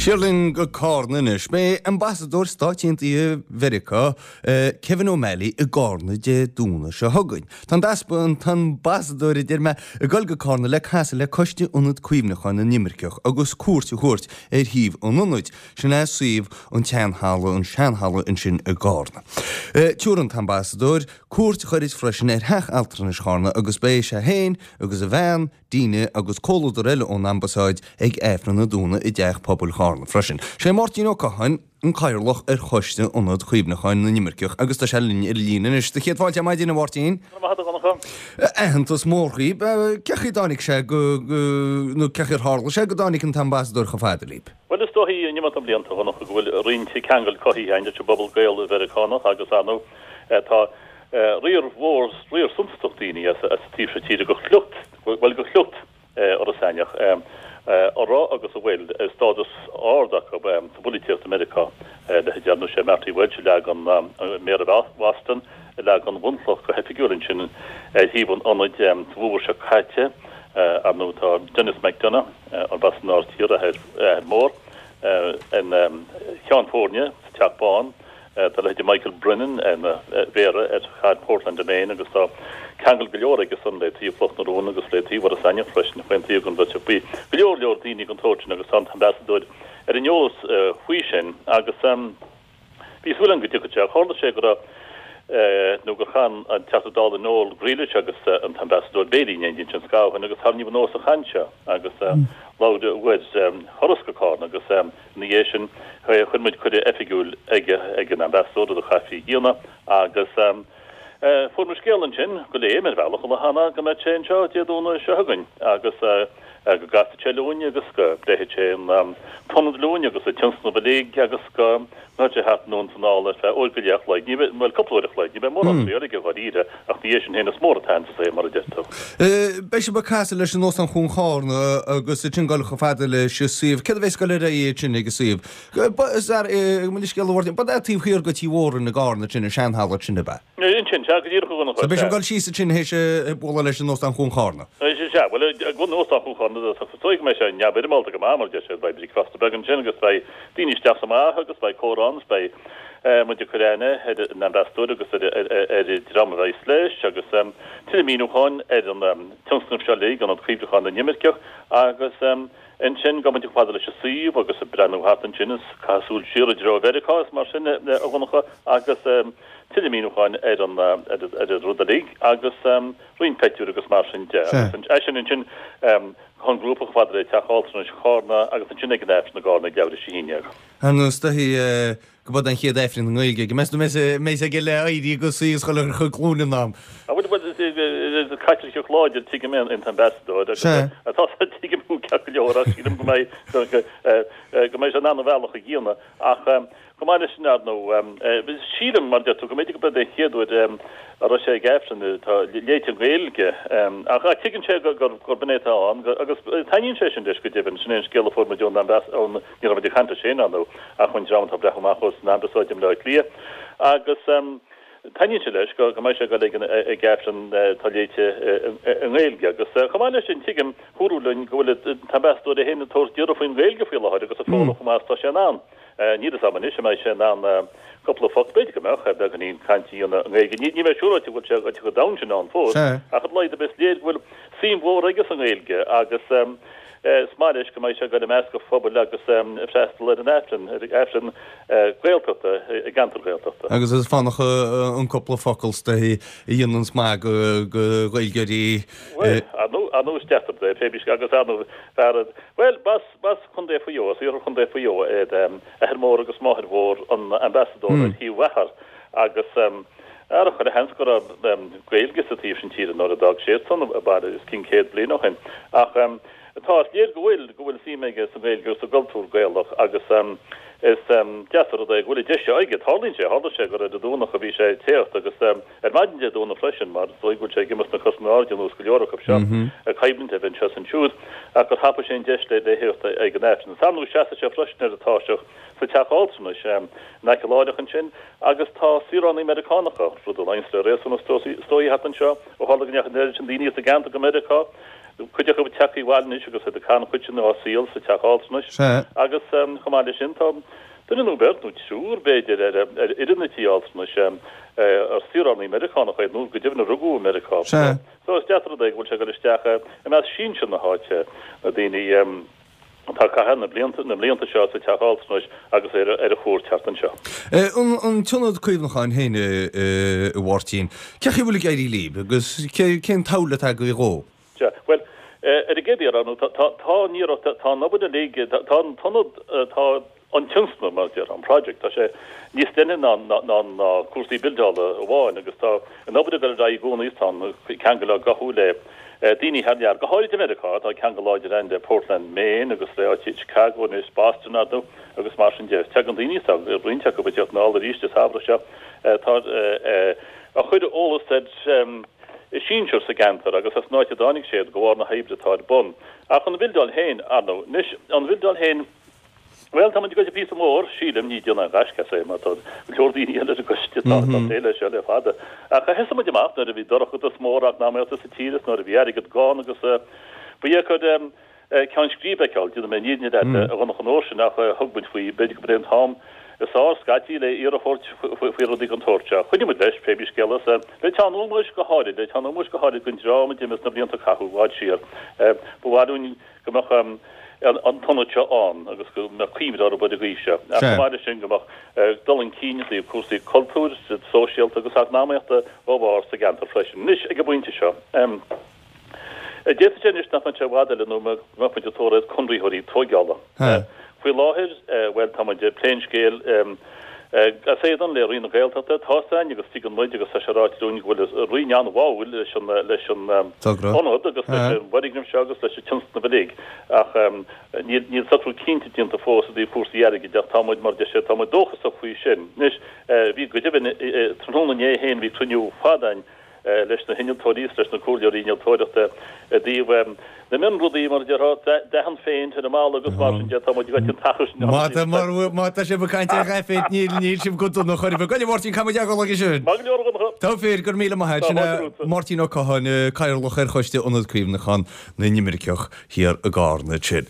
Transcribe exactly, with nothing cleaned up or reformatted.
Siar linn go Cárna anois. Beidh Ambasadóir Stáit Aontaithe Mheiriceá Kevin O'Malley i gCárna Dé Domhnaigh seo chugainn. Tá an t-easpa an t-ambasadóir a deir mé ag dul go Cárna le casadh le Coiste Ionad Cuimhneacháin na nImirceach agus cuairt a thabhairt ar shuíomh an ionaid, sin é suíomh an tseanhalla, an seanhalla ansin i gCárna. Tabharfaidh an t-ambasadóir cuairt ghairid freisin ar Theach Altranais Chárna agus beidh sé féin agus a bhean, Dina agus comhluadar eile ón Ambasáid ag Aifreann an Domhnaigh i dTeach Pobail Chárna freisin. Sé Máirtín Ó Catháin an Cathaoirleach ar Choiste Ionad Cuimhneacháin na nImirceach agus tá sé linn ar an líne anois. Do chéad fáilte ar maidin, a Mháirtín. Go raibh maith agat, a Dhonncha. Aitheantas mór dhaoib. Cé chaoi a dtáinig sé go, nó cé chaoi ar tharla sé go dtáinig an tAmbasadóir chomh fada libh? Bhuel, is dóichí in imeacht na mblianta, a Dhonncha, go bhfuil roinnt ceangal cothaithe againn leis an bpobal Gael-Mheiriceánach agus, ar ndóigh, tá riar mhór, riar suntasach daoine as an taobh seo tíre de shliocht, bhuel, de shliocht Iorras Aithneach, a raibh agus a bhfuil stádas ard acu sa bpolaitíocht i Meiriceá, leithéidí, ar ndóigh, sé Marty Walsh a leag an, Méara Bhoston, a leag an bhunchloch go hoifigiúil ansin ar shuíomh an ionaid sa bhfómhar seo caite. Ar ndóigh, tá Denis McDonough, arb as an Aird Thiar a athair mór, ina cheann foirne sa Teach Bán. Tá leithéidí Michael Brennan ina mhéara ar chathair Portland i Maine agus tá ceangal go leor aige san le taobh Chloch na Rón agus le taobh Iorras Aithneach freisin, chaon taobh den bheirt. Bhí go leor leor daoine den tsórt sin agus tá an t-ambasadóir ar an eolas faoi sin agus bhí súil againn go dtiocfadh sé. Tharla sé go raibh nó gur chaith an Teachta Dála Noel Grealish agus an t-ambasadóir béilí in éindí ansin scaitheamh ó shin agus tarraingíodh anuas an chaint seo agus labhair uair thuras go Cárna agus Ina dhiaidh sin, chuir muid cuireadh oifigiúil ag ag an Ambasadóir, rud a chaithfí a dhéanamh, agus fuair muid scéala ansin go léim ar bhealach an lá cheana go mbeadh sé anseo Dé Domhnaigh seo chugainn agus go gcasfaidh sé linn agus go bpléifidh sé an t-ionad linn agus an tionscnamh uilig agus go ngabhfaidh sé thart anonn is anall ar feadh uair go leith a chloig, ní bheidh, bhuel, cúpla uair a chloig, ní bheidh mórán saoil aige dháiríre ach ina dhiaidh sin féin is mór an t-aitheantas é, mar a deir tú. Beidh sibh ag casadh leis in Óstán Chuan Chárna agus ansin dul chomh fada leis an suíomh. Céard a bheas ag dul ar aghaidh ansin ag an suíomh? Mo leithscéal a Mháirtín, ba é taobh thiar de Tí Mhórain i gCárna sin, an seanhalla sin, ab ea? Ansin, sea, go díreach a Dhonncha, So beidh sibh ag dul síos ansin théis bualadh leis in Óstán Chuan Chárna? Sea, bhuel, ag an Óstán Chuan Chárna, is dóigh go mbeidh sé neamhfhoirmeálta go maith, mar a deir siad, beidh bricfeasta beag ansin agus beidh daoine isteach is amach agus beidh comhrá ann is beidh muid ag cur aithne ar an Ambasadóir agus ar an dream a bheas leis agus tuilleadh míniúcháin ar an tionscnamh seo uilig, Ionad Cuimhneacháin na nImirceach agus ansin gabhfaidh muid chomh fada leis an suíomh agus ag breathnú thart ansin is caitheamh súil siar i dtreo Mheiriceá is mar sin a Dhonncha agus tuilleadh míniúcháin ar an ar an rud uilig agus roinnt pictiúr agus mar sin de. Agus é sin ansin chun grúpa chomh fada le Teach Altranais Chárna agus ansin ag an Aifreann i gCárna ag leathuair tar éis a haon déag. Ar is dóichí go b'é an chéad Aifreann i nGaeilge aige. Meas tú an mbeidh sé aige le éirí agus suí agus dhul ar a chuid glúine in am? Ah bhuel, bhuel, is Caitliceach láidir tuigim é an t-ambasadóir agus tá tuigim thú ceart go leor ach sílim go mbeidh go mbeidh sé in ann a bhealach a dhéanamh ach Chomh maith leis sin, ar ndóigh, sílim, mar a deir tú, go mb'fhéidir gurb é an chéad uair a raibh sé ag Aifreann atá léite i nGaeilge. Ach tuigeann sé gurb in é atá ann agus taitníonn sé sin leis go deimhin. Sin é an scéal a fuair muid ón ón, ní raibh muid ag caint leis féin, ar ndóigh, ach ón dream atá ag breathnú amach dó san Ambasáid i mBaile Átha Cliath. Agus taitníonn sé leis go mbeidh sé ag dul ag Aifreann atá léite i nGaeilge. Agus chomh maith leis sin, tuigim, dúradh linn go bhfuil an t-ambasadóir é féin ag tabhairt d'iarraidh faoin nGaeilge faoi láthair agus ag foghlaim chomh maith is atá sé in ann. Níl a fhios agam anois an mbeidh sé in ann cúpla focal, b'fhéidir go mbeadh, beagáinín cainte a dhéanamh i nGaeilge. Níl mé siúráilte go bhfuil sé chomh domhain sin ann fós, ach ar a laghad is léir go bhfuil suim mhór aige sa nGaeilge agus is maith leis go mbeidh sé ag dul i measc an phobail agus ag freastal ar an Aifreann, ar Aifreann Gaeltachta i gceantar Gaeltachta. Agus is fánach an cúpla focal is dóichí a dhéananns maith do Ghaeilgeoirí. Bhuel, ar ndóigh is deacair é, pé agus ar ndóigh fear, bhuel, b'as. B'as Contae Mhaigh Eo, as iarthar Chontae Mhaigh Eo iad athair mór agus máthair mhór an Ambasadóra ar thaobh athar agus ar chuile sheans go raibh Gaeilge sa taobh sin tíre nuair a d'fhág siadsan an baile os cionn céad bliain ó shin. Ach tá, is léir go bhfuil, go bhfuil suim aige sa nGaeilge agus sa gcultúr Gaelach agus is deas an rud é go bhfuil an deis seo aige. Tarlaíonn sé, tharla sé gur ar an Domhnach a bhí sé ag teacht agus ar maidin Dé Domhnaigh freisin, mar is dóigh go bhfuil sé ag imeacht sna cosa in airde ar nós go leor acu seo, ag coimhlint a bheith anseo is ansiúd, ach gur thapaigh sé an deis le theacht ag an Aifreann. Is ar ndóigh seasfaidh sé freisin ar an tairseach sa teach altranais in aice láithreach ansin agus tá saoránaigh Meiriceánacha, rud a luíonns le réasún is dóigh thart anseo, ó tharla go ndeachaigh an oiread sin daoine as an gceantar go Meiriceá, Cuid acu tagtha abhaile anois agus iad ag caitheamh an chuid sin dá saol sa teach altranais. Agus chomh maith leis sin tá duine nó beirt, nó triúr b'fhéidir, ar fhoireann an tí altranais ar saoránaigh Meiriceánacha iad nó go deimhin a rugadh i Meiriceá. So is deas an rud é go bhfuil sé ag dul isteach i measc sinsir na háite, na daoine atá ag caitheamh na blianta na mblianta seo sa teach altranais agus ar ar a chuairt thart anseo. An t-ionad cuimhneacháin féin, a Mháirtín, cé chaoi a bhfuil ag éirí libh agus cén tsamhail atá agaibh dhó? Sea, bhuel, ar an gcéad iarraidh, nó tá, tá, tá an iarracht, tá an obair uilig, tá, tá an t-ionad, tá an tionscnamh, mar a déarfá, an project, tá sé níos leithne ná, ná, ná, ná cúrsaí buildeála amháin agus tá an obair ag dul ar aghaidh i gcónaí is tá na ceangail á gcothú le daoine thar lear, go háirid i Meiriceá, tá ceangal láidir ann le Portland, Maine agus le áit Chicago anois, Boston, ar ndóigh, agus mar sin de. Tagann daoine, tá roinnt acu ag teacht anall arís an samhradh seo, tá, a chuir eolas ar a sinsir sa gceantar agus as an áit a dtáinig siad de bharr na hoibre atá ar bun. Ach an bhildeáil féin, ar ndóigh. Anois, an bhildeáil féin, bhuel, tá muid ag goil píosa mór, sílim, ní déanamh aon ghaisce as é mar tá go leor daoine eile ar an gcoiste atá ag plé leis seo le fada. Ach thosaigh muid amach nuair a bhí dorchadas mór eacnamaíochta sa tír is nuair a bhí airgead gann agus ba dheacair ceann scríbe a fheiceáil, déanfaidh mé an fhírinne leat, a Dhonncha, an uair sin ach thug muid faoi, b'fhéidir gurb é an t-am is fearr scaití le iarracht a thabhairt faoi rudaí den tsórt seo. Choinnigh muid leis, pé bí scéal é, le teann ómóis go háirid, le teann ómóis go háirid don dream a d'imigh sna blianta a caitheadh i bhfad siar. Ba mhaith linn go mbeadh an t-ionad seo ann agus go mbeadh cuimhne orthu ar an gcaoi seo. Ach chomh maith leis sin go mbeadh dul chun cinn i dtaobh cúrsaí cultúir, sóisialta agus eacnamaíochta dá bharr sa gceantar freisin. Anois, ag an bpointe seo, D'fhéadfadh sé anois nach mbeadh sé i bhfad eile nó go mbeadh muid ag tóir ar conraitheoirí tóigeála. Faoi láthair, bhuel, tá muid ag plé an scéil as éadan le Roinn na Gaeltachta. Tá's againn agus tuigeann muid agus tá sé ráite dúinn go bhfuil an Roinn an-bháúil leis an leis an ionad agus leis an bhfoirgneamh seo agus leis an tionscnamh uilig ach níl níl socrú cinnte déanta fós i dtaobh cúrsaí airgid ach tá muid, mar a deir sé, tá muid dóchasach faoi sin. Anois, bhí go deimhin, tráthnóna inné féin bhí cruinniú fada againn leis na hinnealtóirí is leis na comhairleoirí innealtóireachta i dtaobh na mionrudaí, mar a déarfá, dath an phéint ar an mballa agus mar sin de, tá muid ag an t-achar sin. Má tá, má tá sibh ag caint ar dhath phéint, níl, níl sibh go dona chor ar bith. Go Mháirtín, caithfidh muid a ghabháil aige sin. Maith go leor, a Dhonncha. Tá fíor, go raibh míle maith agat. Sin é Máirtín Ó Catháin, Cathaoirleach ar Choiste Ionad Cuimhneacháin na nImirceach thiar i gCarna ansin.